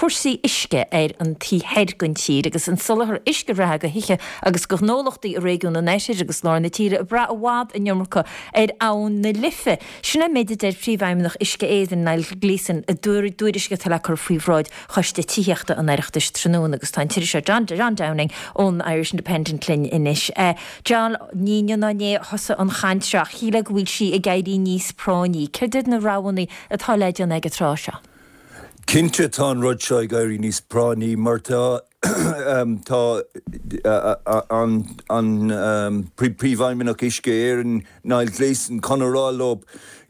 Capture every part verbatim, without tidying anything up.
cúrsaí uisce ar an taobh thoir den tír agus an soláthar uisce reatha do thithe agus do ghnólachtaí i réigiún an Oirthir agus lár na tíre ag brath i bhfad an iomarca ar abhainn na Life. Sin an méid a deir Príomhfheidhmeannach Uisce Éireann Niall Gleeson i dtuairisc atá le cur faoi bhráid Choiste Tithíochta an Oireachtais tráthnóna agus tá an t-iriseoir John, John Downing ón Irish Independent linn anois. Uh, John ní inné a thosaigh an chaint seo shílfeá go bhfuil sí ag éirí níos práinní. Céard iad na roghanna atá le déanamh ag an tráth seo. Cinnte tá an rud seo ag éirí níos práinní mar tá tá an an príomhfheidhmeannach Uisce Éireann Niall Gleeson chun a rá leo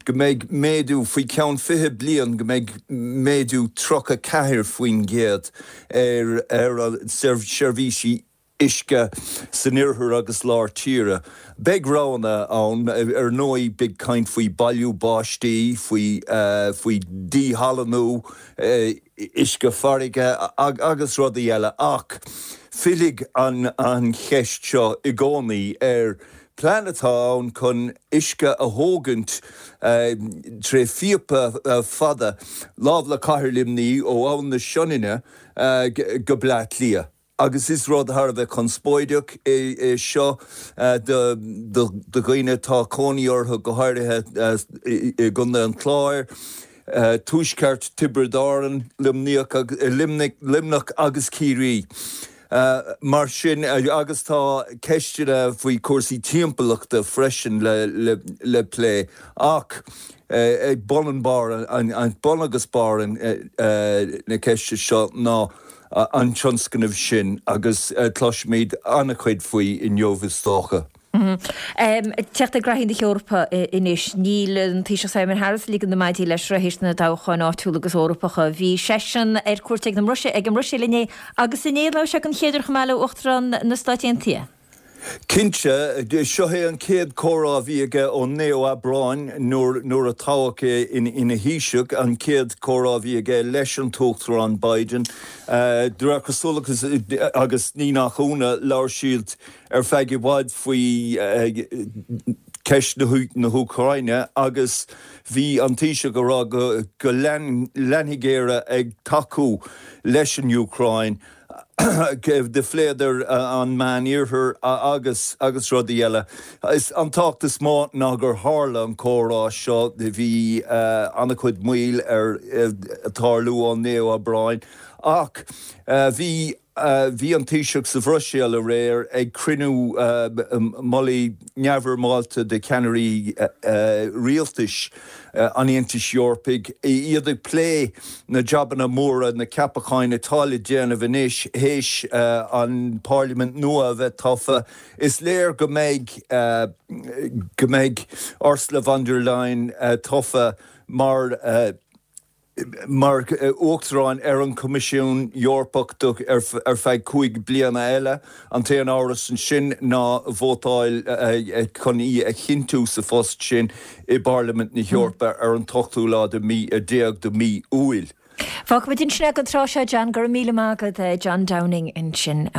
go mbeidh méadú faoi ceann fiche bliain go mbeidh méadú tríocha ceathair faoin gcéad ar ar seirbhísí uisce san oirthear agus lár tíre. Beidh roghanna ann ar ndóigh beidh caint faoi bailiú báistí, faoi uh, faoi díshalannú uh, uisce farraige ag, agus rudaí eile ach fillfidh an, an cheist seo i gcónaí ar plean atá ann chun uisce a thógaint uh, tré phíopa uh, fada lámh le cathair Luimnigh ó Abhainn na Sionainne uh, go Bleá Cliath. Agus is rud thar a bheith conspóideach é, é seo uh, do dhaoine atá cónaí orthu go háirithe uh, i gContae an Chláir. Uh, Tuaisceart Tiobraid Árann Luimneach agus Ciarraí. Uh, mar sin uh, agus tá ceisteanna faoi cúrsaí timpeallachta freisin le, le, le plé ach uh, ag bun an bar an, an bun agus barr an, uh, uh, na ceiste seo ná an tionscnamh sin agus uh, cloisfimid an-chuid faoi inniu is dócha. Mm -hmm. um, Teacht ag na hEorpa anois níl an Taoiseach Simon Harris ag ligean na maidí leis théis na dtoghchán áitiúil agus Eorpacha. Bhí seisean ar cuairt ag an Mbruiséil ag an mBruiséil inné agus inné labhair sé an chéad uair chomh maith le Uachtarán na Stáit Aontaithe. Cinnte seo é an chéad chomhrá a bhí aige ón naoú Aibreán nuair a toghadh é ina Thaoiseach an chéad chomhrá a bhí aige leis an Uachtarán Biden. Uh, cosúil agus ní nach ionadh labhair siad ar feadh i bhfad faoi uh, ceist na hÚcráine agus bhí an Taoiseach ag rá go, go leanfaidh Éire ag tacú leis an Úcráin. De phléadar an Meánoirthear agus agus rudaí eile. Is an tábhacht is mó ná gur tharla an comhrá seo bhí uh, an-chuid moill ar uh, tarlú an naoú Aibreán ach uh, bhí uh, bhí an Taoiseach sa Bhruiséil aréir ag cruinniú uh, mullaigh neamhfhoirmeálta de cheannairí uh, uh, rialtais uh, an Aontais Eorpaigh iad ag plé na jabanna móra na ceapacháin atá le déanamh anois théis uh, an Parlaimint nua bheith tofa. Is léir go mbeidh uh, go mbeidh Ursula von der Leyen uh, tofa mar uh, mar uachtarán ar an Coimisiún Eorpach ar, ar feadh cúig bliana eile an t-aon amhras ansin ná vótáil chun í a chinntiú sa phost sin i bParlaimint na hEorpa ar an ochtú lá de mí a déag de mí Iúil. Fágfaimid sin an tráth seo John gur míle maith agat John Downing ansin.